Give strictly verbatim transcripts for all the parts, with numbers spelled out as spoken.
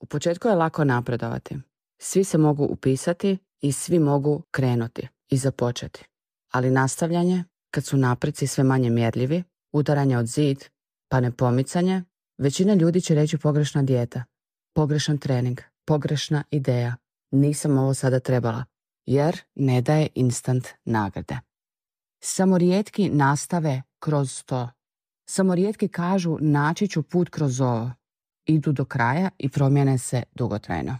U početku je lako napredovati. Svi se mogu upisati i svi mogu krenuti i započeti. Ali nastavljanje, kad su napreci sve manje mjerljivi, udaranje od zid, pa ne pomicanje, većina ljudi će reći pogrešna dijeta, pogrešan trening, pogrešna ideja. Nisam ovo sada trebala, jer ne daje instant nagrade. Samo rijetki nastave kroz to. Samo rijetki kažu naći ću put kroz ovo. Idu do kraja i promijene se dugotrajno.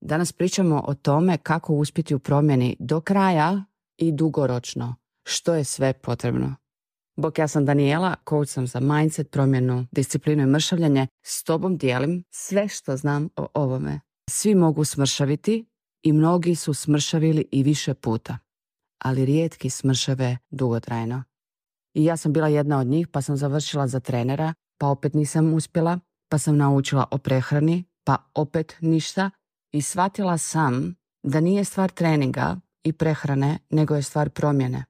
Danas pričamo o tome kako uspjeti u promjeni do kraja i dugoročno. Što je sve potrebno. Bok, ja sam Daniela, coach sam za mindset, promjenu, disciplinu i mršavljanje. S tobom dijelim sve što znam o ovome. Svi mogu smršaviti i mnogi su smršavili i više puta. Ali rijetki smršave dugotrajno. I ja sam bila jedna od njih, pa sam završila za trenera, pa opet nisam uspjela, pa sam naučila o prehrani, pa opet ništa. I shvatila sam da nije stvar treninga i prehrane, nego je stvar promjene.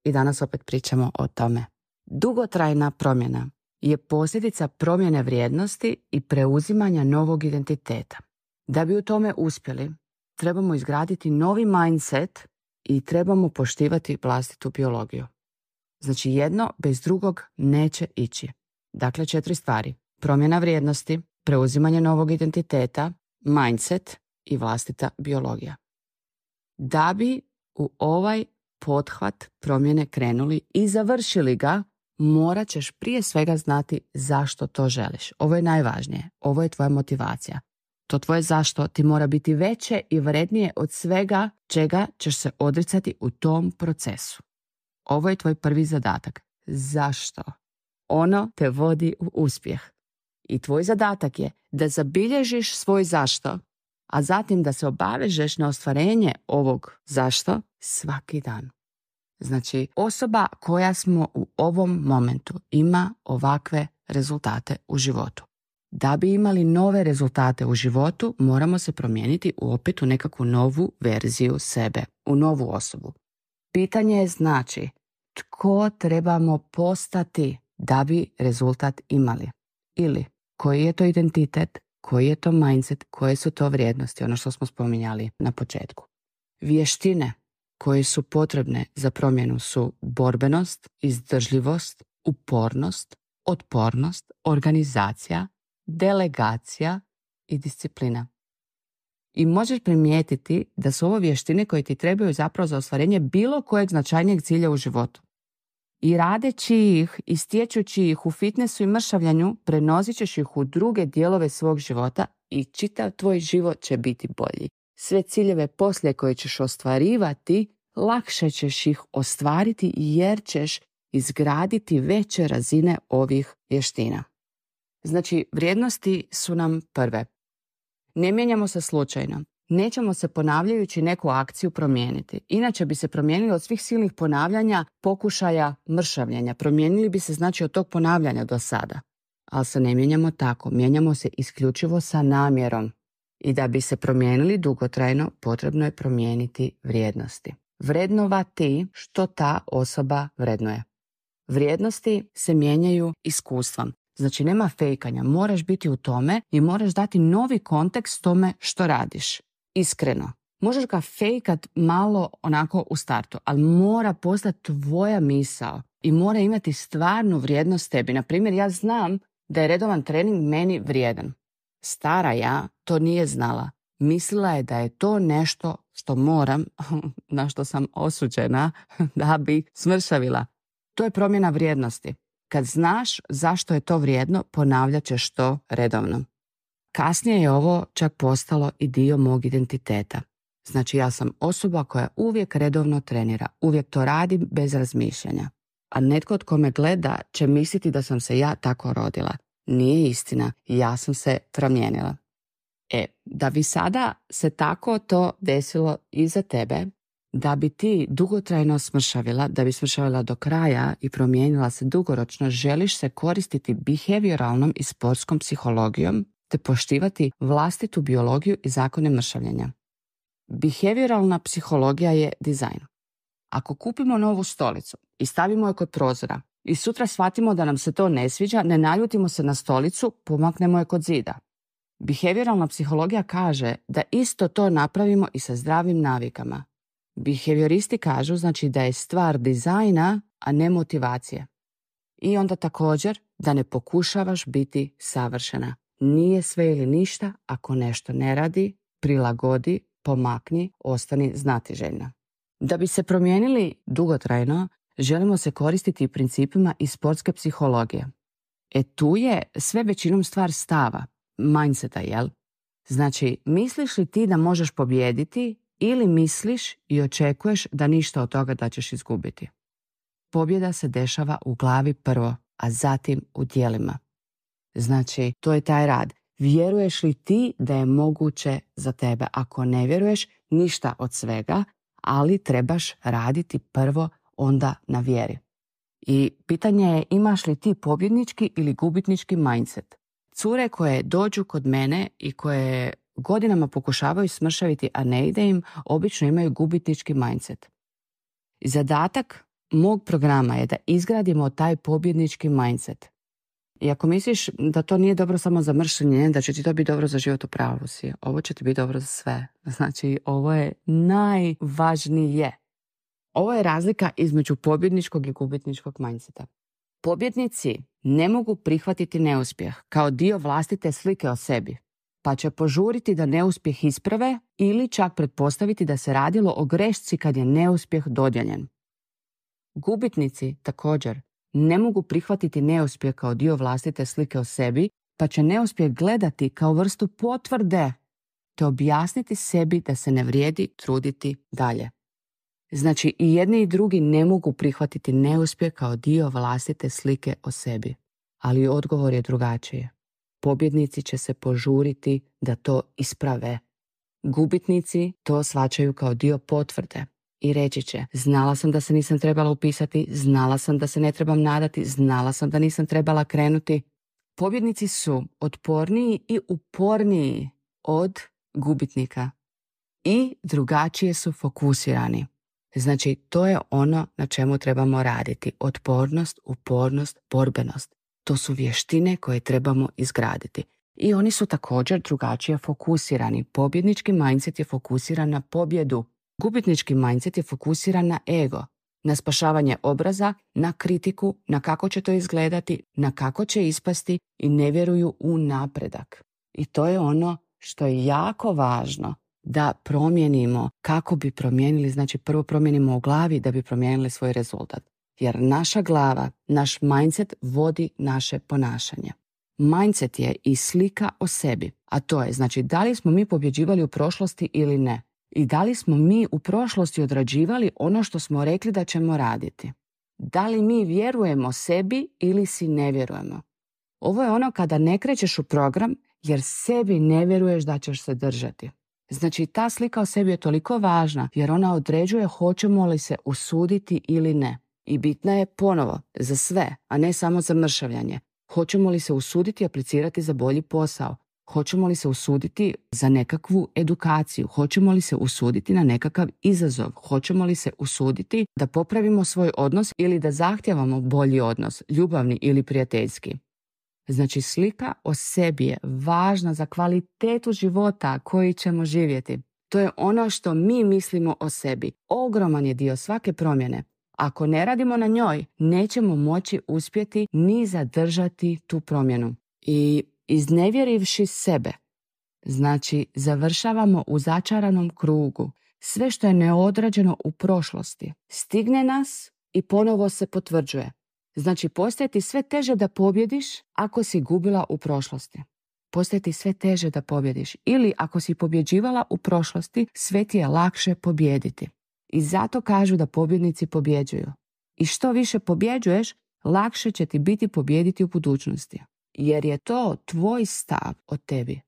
I danas opet pričamo o tome. Dugotrajna promjena je posljedica promjene vrijednosti i preuzimanja novog identiteta. Da bi u tome uspjeli, trebamo izgraditi novi mindset i trebamo poštivati vlastitu biologiju. Znači jedno bez drugog neće ići. Dakle, četiri stvari. Promjena vrijednosti, preuzimanje novog identiteta, mindset i vlastita biologija. Da bi u ovaj pothvat promjene krenuli i završili ga, morat ćeš prije svega znati zašto to želiš. Ovo je najvažnije. Ovo je tvoja motivacija. To tvoje zašto ti mora biti veće i vrednije od svega čega ćeš se odricati u tom procesu. Ovo je tvoj prvi zadatak. Zašto? Ono te vodi u uspjeh. I tvoj zadatak je da zabilježiš svoj zašto, a zatim da se obavežeš na ostvarenje ovog zašto svaki dan. Znači, osoba koja smo u ovom momentu ima ovakve rezultate u životu. Da bi imali nove rezultate u životu, moramo se promijeniti u opet u nekakvu novu verziju sebe, u novu osobu. Pitanje je znači, tko trebamo postati da bi rezultat imali? Ili, koji je to identitet, koji je to mindset, koje su to vrijednosti, ono što smo spominjali na početku. Vještine koje su potrebne za promjenu su borbenost, izdržljivost, upornost, otpornost, organizacija, delegacija i disciplina. I možeš primijetiti da su ovo vještine koje ti trebaju zapravo za ostvarenje bilo kojeg značajnijeg cilja u životu. I radeći ih i stječući ih u fitnessu i mršavljanju, prenosit ćeš ih u druge dijelove svog života i čitav tvoj život će biti bolji. Sve ciljeve poslije koje ćeš ostvarivati, lakše ćeš ih ostvariti jer ćeš izgraditi veće razine ovih vještina. Znači, vrijednosti su nam prve. Ne mijenjamo se slučajno. Nećemo se ponavljajući neku akciju promijeniti. Inače bi se promijenili od svih silnih ponavljanja, pokušaja mršavljenja. Promijenili bi se znači od tog ponavljanja do sada. Ali se ne mijenjamo tako. Mijenjamo se isključivo sa namjerom. I da bi se promijenili dugotrajno, potrebno je promijeniti vrijednosti. Vrednovati što ta osoba vrednuje. Vrijednosti se mijenjaju iskustvom. Znači nema fejkanja, moraš biti u tome i moraš dati novi kontekst tome što radiš. Iskreno. Možeš ga fejkat malo onako u startu, ali mora postati tvoja misao i mora imati stvarnu vrijednost tebi. Na primjer, ja znam da je redovan trening meni vrijedan. Stara ja to nije znala. Mislila je da je to nešto što moram, na što sam osuđena, da bi smršavila. To je promjena vrijednosti. Kad znaš zašto je to vrijedno, ponavljat ćeš to redovno. Kasnije je ovo čak postalo i dio mog identiteta. Znači ja sam osoba koja uvijek redovno trenira, uvijek to radi bez razmišljanja. A netko od ko me gleda će misliti da sam se ja tako rodila. Nije istina, ja sam se promijenila. E, da bi sada se tako to desilo i za tebe, da bi ti dugotrajno smršavila, da bi smršavila do kraja i promijenila se dugoročno, želiš se koristiti behavioralnom i sportskom psihologijom te poštivati vlastitu biologiju i zakone mršavljenja. Behavioralna psihologija je dizajn. Ako kupimo novu stolicu i stavimo je kod prozora i sutra shvatimo da nam se to ne sviđa, ne naljutimo se na stolicu, pomaknemo je kod zida. Behavioralna psihologija kaže da isto to napravimo i sa zdravim navikama. Behavioristi kažu znači da je stvar dizajna, a ne motivacije. I onda također da ne pokušavaš biti savršena. Nije sve ili ništa, ako nešto ne radi, prilagodi, pomakni, ostani znatiželjna. Da bi se promijenili dugotrajno, želimo se koristiti principima iz sportske psihologije. E tu je sve većinom stvar stava, mindseta, jel? Znači, misliš li ti da možeš pobijediti ili misliš i očekuješ da ništa od toga da ćeš izgubiti? Pobjeda se dešava u glavi prvo, a zatim u djelima. Znači, to je taj rad. Vjeruješ li ti da je moguće za tebe? Ako ne vjeruješ, ništa od svega, ali trebaš raditi prvo onda na vjeri. I pitanje je imaš li ti pobjednički ili gubitnički mindset. Cure koje dođu kod mene i koje godinama pokušavaju smršaviti, a ne ide im, obično imaju gubitnički mindset. Zadatak mog programa je da izgradimo taj pobjednički mindset. I ako misliš da to nije dobro samo za mršenje, da će ti to biti dobro za život, u pravu si. Ovo će ti biti dobro za sve. Znači, ovo je najvažnije. Ovo je razlika između pobjedničkog i gubitničkog mindseta. Pobjednici ne mogu prihvatiti neuspjeh kao dio vlastite slike o sebi, pa će požuriti da neuspjeh isprave ili čak pretpostaviti da se radilo o grešci kad je neuspjeh dodijeljen. Gubitnici također ne mogu prihvatiti neuspjeh kao dio vlastite slike o sebi, pa će neuspjeh gledati kao vrstu potvrde te objasniti sebi da se ne vrijedi truditi dalje. Znači, i jedni i drugi ne mogu prihvatiti neuspjeh kao dio vlastite slike o sebi. Ali odgovor je drugačiji. Pobjednici će se požuriti da to isprave. Gubitnici to shvaćaju kao dio potvrde i reći će: znala sam da se nisam trebala upisati, znala sam da se ne trebam nadati, znala sam da nisam trebala krenuti. Pobjednici su otporniji i uporniji od gubitnika i drugačije su fokusirani. Znači, to je ono na čemu trebamo raditi. Otpornost, upornost, borbenost. To su vještine koje trebamo izgraditi. I oni su također drugačije fokusirani. Pobjednički mindset je fokusiran na pobjedu. Gubitnički mindset je fokusiran na ego, na spašavanje obraza, na kritiku, na kako će to izgledati, na kako će ispasti i ne vjeruju u napredak. I to je ono što je jako važno da promijenimo. Kako bi promijenili? Znači, prvo promijenimo u glavi da bi promijenili svoj rezultat. Jer naša glava, naš mindset vodi naše ponašanje. Mindset je i slika o sebi, a to je, znači, da li smo mi pobjeđivali u prošlosti ili ne. I da li smo mi u prošlosti odrađivali ono što smo rekli da ćemo raditi. Da li mi vjerujemo sebi ili si ne vjerujemo. Ovo je ono kada ne krećeš u program jer sebi ne vjeruješ da ćeš se držati. Znači, ta slika o sebi je toliko važna jer ona određuje hoćemo li se usuditi ili ne. I bitna je ponovo za sve, a ne samo za mršavljanje. Hoćemo li se usuditi aplicirati za bolji posao? Hoćemo li se usuditi za nekakvu edukaciju? Hoćemo li se usuditi na nekakav izazov? Hoćemo li se usuditi da popravimo svoj odnos ili da zahtijevamo bolji odnos, ljubavni ili prijateljski? Znači, slika o sebi je važna za kvalitetu života koji ćemo živjeti. To je ono što mi mislimo o sebi. Ogroman je dio svake promjene. Ako ne radimo na njoj, nećemo moći uspjeti ni zadržati tu promjenu. I iznevjerivši sebe, znači završavamo u začaranom krugu. Sve što je neodrađeno u prošlosti stigne nas i ponovo se potvrđuje. Znači, postaje ti sve teže da pobjediš ako si gubila u prošlosti. Postaje ti sve teže da pobjediš. Ili ako si pobjeđivala u prošlosti, sve ti je lakše pobjediti. I zato kažu da pobjednici pobjeđuju. I što više pobjeđuješ, lakše će ti biti pobijediti u budućnosti. Jer je to tvoj stav o tebi.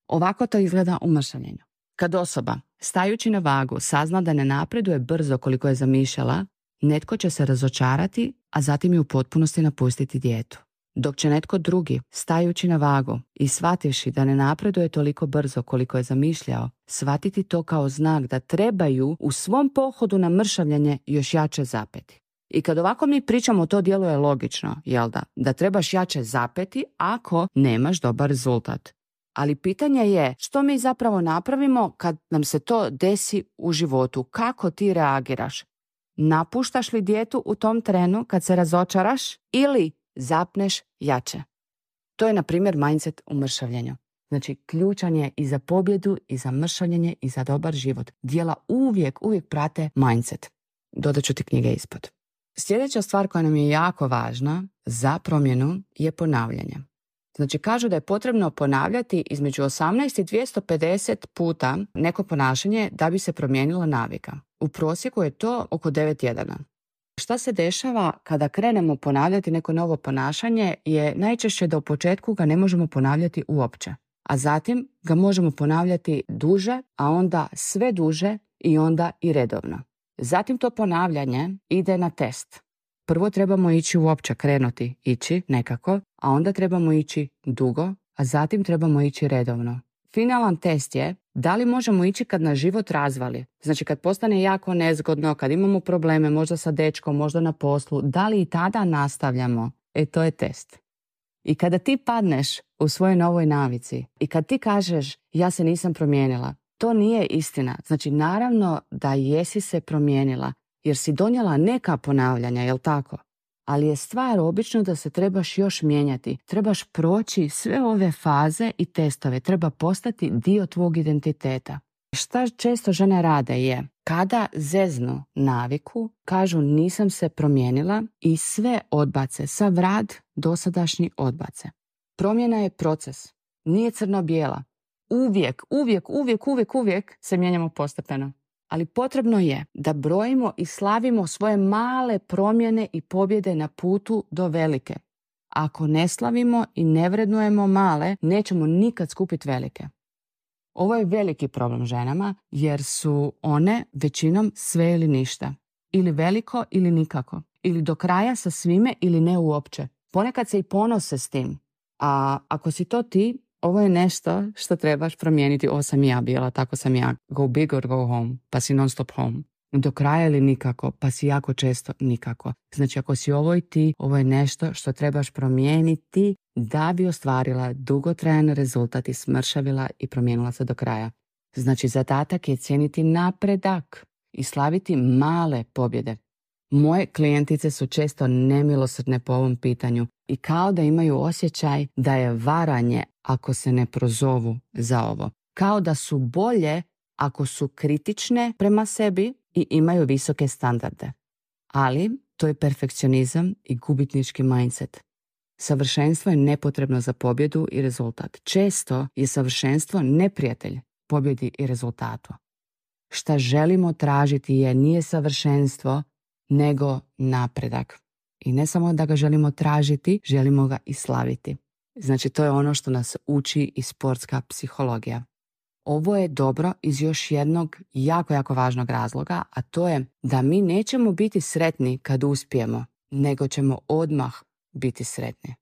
Ovako to izgleda u mršavljenju. Kad osoba, stajući na vagu, sazna da ne napreduje brzo koliko je zamišljala, netko će se razočarati, a zatim i u potpunosti napustiti dijetu. Dok će netko drugi, stajući na vagu i shvativši da ne napreduje toliko brzo koliko je zamišljao, shvatiti to kao znak da trebaju u svom pohodu na mršavljanje još jače zapeti. I kad ovako mi pričamo, to djeluje logično, jel da? Da trebaš jače zapeti ako nemaš dobar rezultat. Ali pitanje je što mi zapravo napravimo kad nam se to desi u životu. Kako ti reagiraš? Napuštaš li dijetu u tom trenu kad se razočaraš ili zapneš jače? To je, na primjer, mindset u mršavljenju. Znači, ključan je i za pobjedu, i za mršavljenje, i za dobar život. Djela uvijek, uvijek prate mindset. Dodat ću ti knjige ispod. Sljedeća stvar koja nam je jako važna za promjenu je ponavljanje. Znači, kažu da je potrebno ponavljati između osamnaest i dvjesto pedeset puta neko ponašanje da bi se promijenila navika. U prosjeku je to oko devet tjedana. Šta se dešava kada krenemo ponavljati neko novo ponašanje je najčešće da u početku ga ne možemo ponavljati uopće. A zatim ga možemo ponavljati duže, a onda sve duže i onda i redovno. Zatim to ponavljanje ide na test. Prvo trebamo ići uopće, krenuti, ići nekako, a onda trebamo ići dugo, a zatim trebamo ići redovno. Finalan test je da li možemo ići kad nas život razvali. Znači kad postane jako nezgodno, kad imamo probleme, možda sa dečkom, možda na poslu, da li i tada nastavljamo? E, to je test. I kada ti padneš u svojoj novoj navici i kad ti kažeš ja se nisam promijenila, to nije istina. Znači naravno da jesi se promijenila jer si donijela neka ponavljanja, jel tako? Ali je stvar obično da se trebaš još mijenjati. Trebaš proći sve ove faze i testove. Treba postati dio tvog identiteta. Šta često žene rade je, kada zeznu naviku, kažu nisam se promijenila i sve odbace, sav rad dosadašnji odbace. Promjena je proces, nije crno-bijela. Uvijek, uvijek, uvijek, uvijek, uvijek se mijenjamo postepeno. Ali potrebno je da brojimo i slavimo svoje male promjene i pobjede na putu do velike. Ako ne slavimo i ne vrednujemo male, nećemo nikad skupiti velike. Ovo je veliki problem ženama jer su one većinom sve ili ništa. Ili veliko ili nikako. Ili do kraja sa svime ili ne uopće. Ponekad se i ponose s tim. A ako si to ti, ovo je nešto što trebaš promijeniti. Ovo sam ja bila, tako sam ja. Go big or go home, pa si non stop home. Do kraja ili nikako, pa si jako često nikako. Znači ako si ovo i ti, ovo je nešto što trebaš promijeniti da bi ostvarila dugotrajan rezultat i smršavila i promijenila se do kraja. Znači zadatak je cijeniti napredak i slaviti male pobjede. Moje klijentice su često nemilosrdne po ovom pitanju i kao da imaju osjećaj da je varanje ako se ne prozovu za ovo. Kao da su bolje ako su kritične prema sebi i imaju visoke standarde. Ali to je perfekcionizam i gubitnički mindset. Savršenstvo je nepotrebno za pobjedu i rezultat. Često je savršenstvo neprijatelj pobjedi i rezultatu. Šta želimo tražiti je nije savršenstvo, nego napredak. I ne samo da ga želimo tražiti, želimo ga i slaviti. Znači to je ono što nas uči i sportska psihologija. Ovo je dobro iz još jednog jako, jako važnog razloga, a to je da mi nećemo biti sretni kad uspijemo, nego ćemo odmah biti sretni.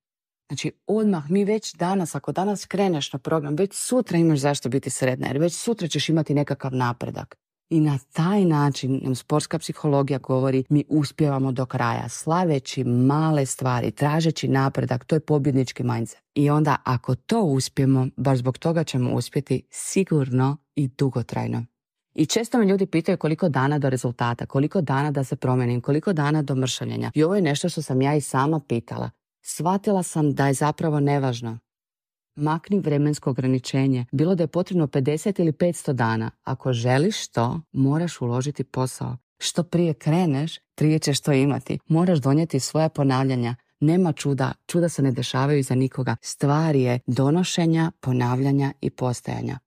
Znači odmah, mi već danas, ako danas kreneš na program, već sutra imaš zašto biti sretna, jer već sutra ćeš imati nekakav napredak. I na taj način nam sportska psihologija govori mi uspijevamo do kraja, slaveći male stvari, tražeći napredak, to je pobjednički mindset. I onda ako to uspijemo, baš zbog toga ćemo uspjeti sigurno i dugotrajno. I često me ljudi pitaju koliko dana do rezultata, koliko dana da se promijenim, koliko dana do mršavljenja. I ovo je nešto što sam ja i sama pitala. Shvatila sam da je zapravo nevažno. Makni vremensko ograničenje, bilo da je potrebno pedeset ili petsto dana. Ako želiš to, moraš uložiti posao. Što prije kreneš, prije ćeš to imati. Moraš donijeti svoje ponavljanja. Nema čuda, čuda se ne dešavaju iza nikoga. Stvar je donošenja, ponavljanja i postajanja.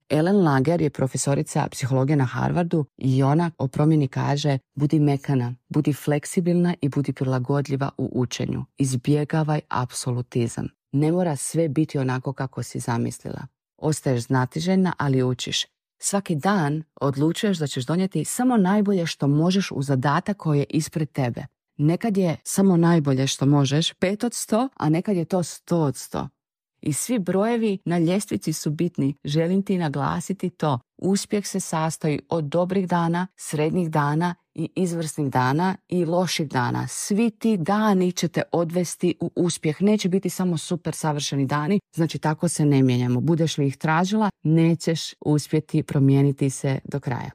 Ellen Langer je profesorica psihologije na Harvardu i ona o promjeni kaže budi mekana, budi fleksibilna i budi prilagodljiva u učenju. Izbjegavaj apsolutizam. Ne mora sve biti onako kako si zamislila. Ostaješ znatiželjna, ali učiš. Svaki dan odlučuješ da ćeš donijeti samo najbolje što možeš u zadatak koji je ispred tebe. Nekad je samo najbolje što možeš pet od sto, a nekad je to sto od sto. I svi brojevi na ljestvici su bitni. Želim ti naglasiti to. Uspjeh se sastoji od dobrih dana, srednjih dana i izvrsnih dana i loših dana. Svi ti dani će te odvesti u uspjeh. Neće biti samo super savršeni dani, znači tako se ne mijenjamo. Budeš li ih tražila, nećeš uspjeti promijeniti se do kraja.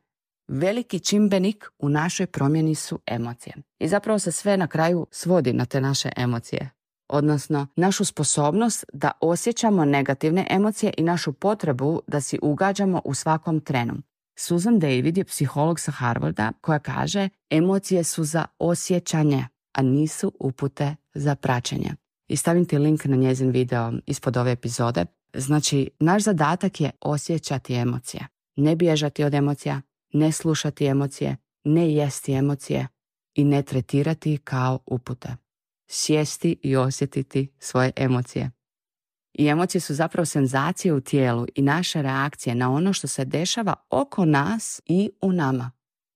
Veliki čimbenik u našoj promjeni su emocije. I zapravo se sve na kraju svodi na te naše emocije. Odnosno, našu sposobnost da osjećamo negativne emocije i našu potrebu da si ugađamo u svakom trenu. Susan David je psiholog sa Harvarda koja kaže emocije su za osjećanje, a nisu upute za praćenje. I stavim ti link na njezin video ispod ove epizode. Znači, naš zadatak je osjećati emocije. Ne bježati od emocija, ne slušati emocije, ne jesti emocije i ne tretirati kao upute. Sjesti i osjetiti svoje emocije. I emocije su zapravo senzacije u tijelu i naše reakcije na ono što se dešava oko nas i u nama.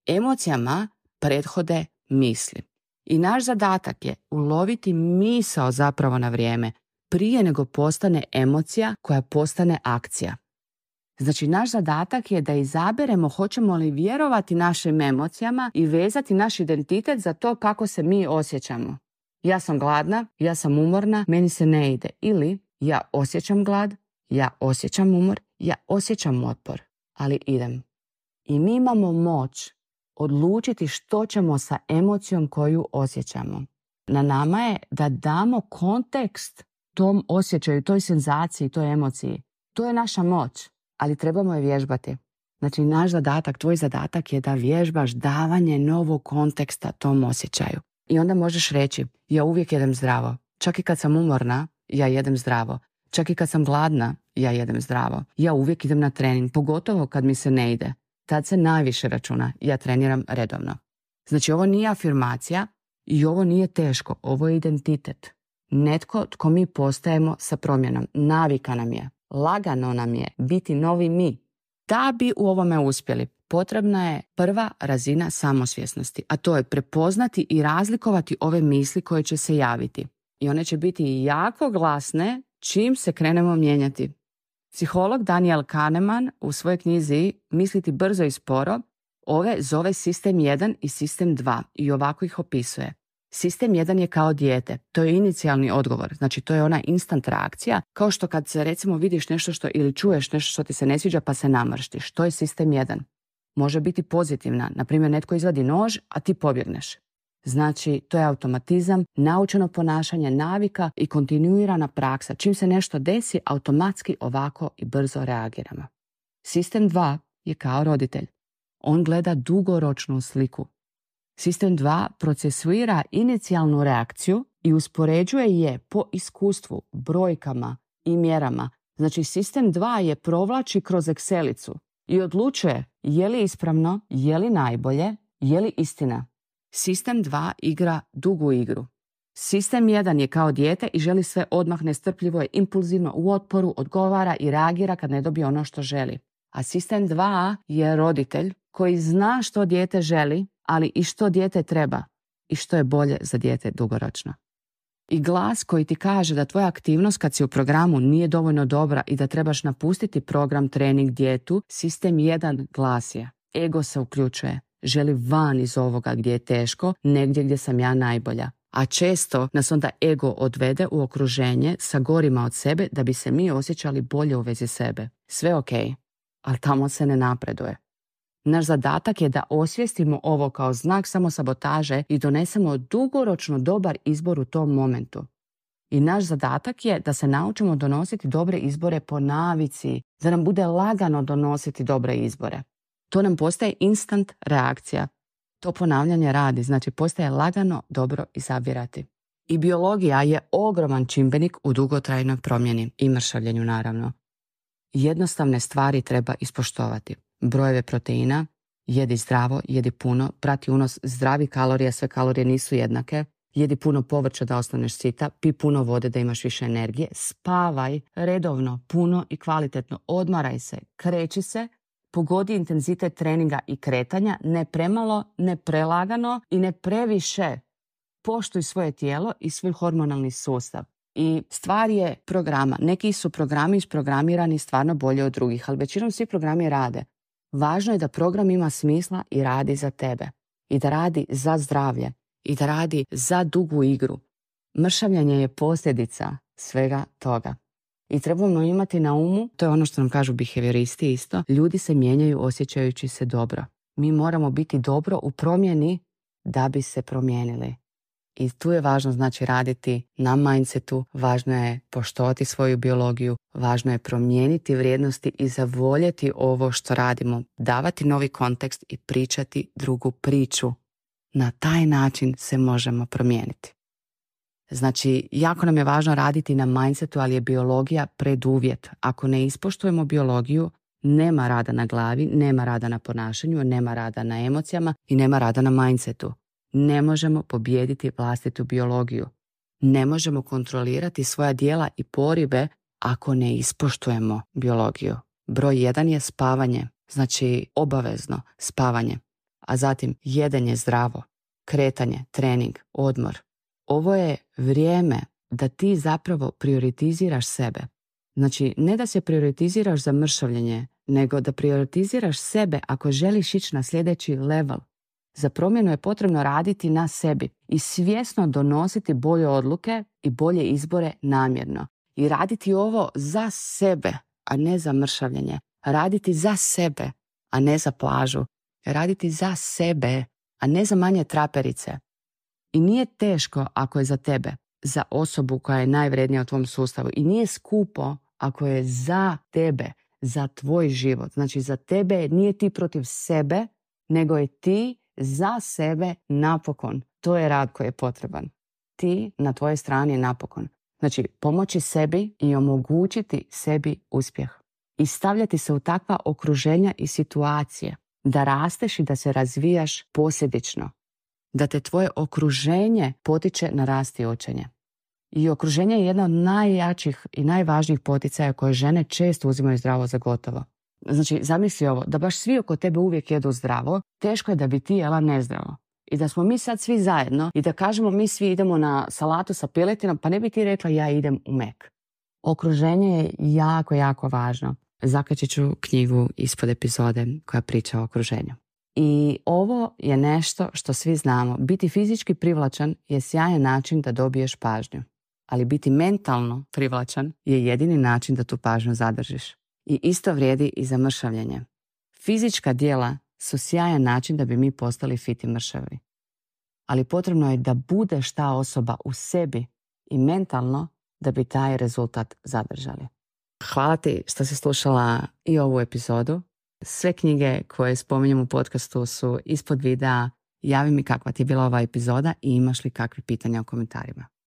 Emocijama prethode misli. I naš zadatak je uloviti misao zapravo na vrijeme, prije nego postane emocija koja postane akcija. Znači, naš zadatak je da izaberemo hoćemo li vjerovati našim emocijama i vezati naš identitet za to kako se mi osjećamo. Ja sam gladna, ja sam umorna, meni se ne ide. Ili ja osjećam glad, ja osjećam umor, ja osjećam otpor, ali idem. I mi imamo moć odlučiti što ćemo sa emocijom koju osjećamo. Na nama je da damo kontekst tom osjećaju, toj senzaciji, toj emociji. To je naša moć, ali trebamo je vježbati. Znači, naš zadatak, tvoj zadatak je da vježbaš davanje novog konteksta tom osjećaju. I onda možeš reći, ja uvijek jedem zdravo. Čak i kad sam umorna, ja jedem zdravo. Čak i kad sam gladna, ja jedem zdravo. Ja uvijek idem na trening, pogotovo kad mi se ne ide. Tad se najviše računa, ja treniram redovno. Znači, ovo nije afirmacija i ovo nije teško, ovo je identitet. Netko tko mi postajemo sa promjenom, navika nam je, lagano nam je biti novi mi. Da bi u ovome uspjeli, potrebna je prva razina samosvjesnosti, a to je prepoznati i razlikovati ove misli koje će se javiti. I one će biti jako glasne čim se krenemo mijenjati. Psiholog Daniel Kahneman u svojoj knjizi Misliti brzo i sporo ove zove sistem jedan i sistem dva i ovako ih opisuje. Sistem jedan je kao dijete, to je inicijalni odgovor, znači to je ona instant reakcija, kao što kad se recimo vidiš nešto što ili čuješ nešto što ti se ne sviđa pa se namrštiš, to je sistem jedan. Može biti pozitivna, na primjer netko izvadi nož, a ti pobjegneš. Znači, to je automatizam, naučeno ponašanje, navika i kontinuirana praksa. Čim se nešto desi, automatski ovako i brzo reagiramo. Sistem dva je kao roditelj. On gleda dugoročnu sliku. Sistem dva procesuira inicijalnu reakciju i uspoređuje je po iskustvu, brojkama i mjerama. Znači, sistem dva je provlači kroz Excelicu i odlučuje je li ispravno, je li najbolje, je li istina. Sistem dva igra dugu igru. Sistem jedan je kao dijete i želi sve odmah, nestrpljivo je, impulzivno, u otporu, odgovara i reagira kad ne dobije ono što želi. A sistem dva je roditelj koji zna što dijete želi, ali i što dijete treba i što je bolje za dijete dugoročno. I glas koji ti kaže da tvoja aktivnost kad si u programu nije dovoljno dobra i da trebaš napustiti program, trening, dijetu, sistem jedan glas je. Ego se uključuje. Želi van iz ovoga gdje je teško, negdje gdje sam ja najbolja. A često nas onda ego odvede u okruženje sa gorima od sebe da bi se mi osjećali bolje u vezi sebe. Sve ok, ali tamo se ne napreduje. Naš zadatak je da osvijestimo ovo kao znak samosabotaže i donesemo dugoročno dobar izbor u tom momentu. I naš zadatak je da se naučimo donositi dobre izbore po navici, da nam bude lagano donositi dobre izbore. To nam postaje instant reakcija. To ponavljanje radi, znači postaje lagano dobro izabirati. I biologija je ogroman čimbenik u dugotrajnoj promjeni i mršavljenju naravno. Jednostavne stvari treba ispoštovati. Brojeve proteina, jedi zdravo, jedi puno, prati unos zdravih kalorija, sve kalorije nisu jednake, jedi puno povrća da ostaneš sita, pi puno vode da imaš više energije, spavaj redovno, puno i kvalitetno, odmaraj se, kreći se, pogodi intenzitet treninga i kretanja, ne premalo, ne prelagano i ne previše. Poštuj svoje tijelo i svoj hormonalni sustav. I stvar je programa. Neki su programi isprogramirani stvarno bolje od drugih, ali većinom svi programi rade. Važno je da program ima smisla i radi za tebe. i da radi za zdravlje i da radi za dugu igru. Mršavljenje je posljedica svega toga. I trebamo imati na umu, to je ono što nam kažu behavioristi isto, ljudi se mijenjaju osjećajući se dobro. Mi moramo biti dobro u promjeni da bi se promijenili. I tu je važno znači raditi na mindsetu, važno je poštovati svoju biologiju, važno je promijeniti vrijednosti i zavoljeti ovo što radimo, davati novi kontekst i pričati drugu priču. Na taj način se možemo promijeniti. Znači, jako nam je važno raditi na mindsetu, ali je biologija preduvjet. Ako ne ispoštujemo biologiju, nema rada na glavi, nema rada na ponašanju, nema rada na emocijama i nema rada na mindsetu. Ne možemo pobijediti vlastitu biologiju. Ne možemo kontrolirati svoja djela i poribe ako ne ispoštujemo biologiju. Broj jedan je spavanje, znači obavezno spavanje. A zatim jedenje zdravo, kretanje, trening, odmor. Ovo je vrijeme da ti zapravo prioritiziraš sebe. Znači, ne da se prioritiziraš za mršavljenje, nego da prioritiziraš sebe ako želiš ići na sljedeći level. Za promjenu je potrebno raditi na sebi i svjesno donositi bolje odluke i bolje izbore namjerno. I raditi ovo za sebe, a ne za mršavljenje. Raditi za sebe, a ne za plažu. Raditi za sebe, a ne za manje traperice. I nije teško ako je za tebe, za osobu koja je najvrednija u tvom sustavu. I nije skupo ako je za tebe, za tvoj život. Znači za tebe nije ti protiv sebe, nego je ti za sebe napokon. To je rad koji je potreban. Ti na tvojoj strani je napokon. Znači pomoći sebi i omogućiti sebi uspjeh. I stavljati se u takva okruženja i situacije da rasteš i da se razvijaš posljedično. Da te tvoje okruženje potiče na rast i učenje. I okruženje je jedna od najjačih i najvažnijih poticaja koje žene često uzimaju zdravo za gotovo. Znači, zamisli ovo, da baš svi oko tebe uvijek jedu zdravo, teško je da bi ti jela nezdravo. I da smo mi sad svi zajedno i da kažemo mi svi idemo na salatu sa piletinom, pa ne bi ti rekla ja idem u Mek. Okruženje je jako, jako važno. Zakačit ću knjigu ispod epizode koja priča o okruženju. I ovo je nešto što svi znamo. Biti fizički privlačan je sjajan način da dobiješ pažnju. Ali biti mentalno privlačan je jedini način da tu pažnju zadržiš. I isto vrijedi i za mršavljenje. Fizička djela su sjajan način da bi mi postali fit i mršavi. Ali potrebno je da budeš ta osoba u sebi i mentalno da bi taj rezultat zadržali. Hvala ti što si slušala i ovu epizodu. Sve knjige koje spominjem u podcastu su ispod videa. Javi mi kakva ti je bila ova epizoda i imaš li kakvi pitanja u komentarima.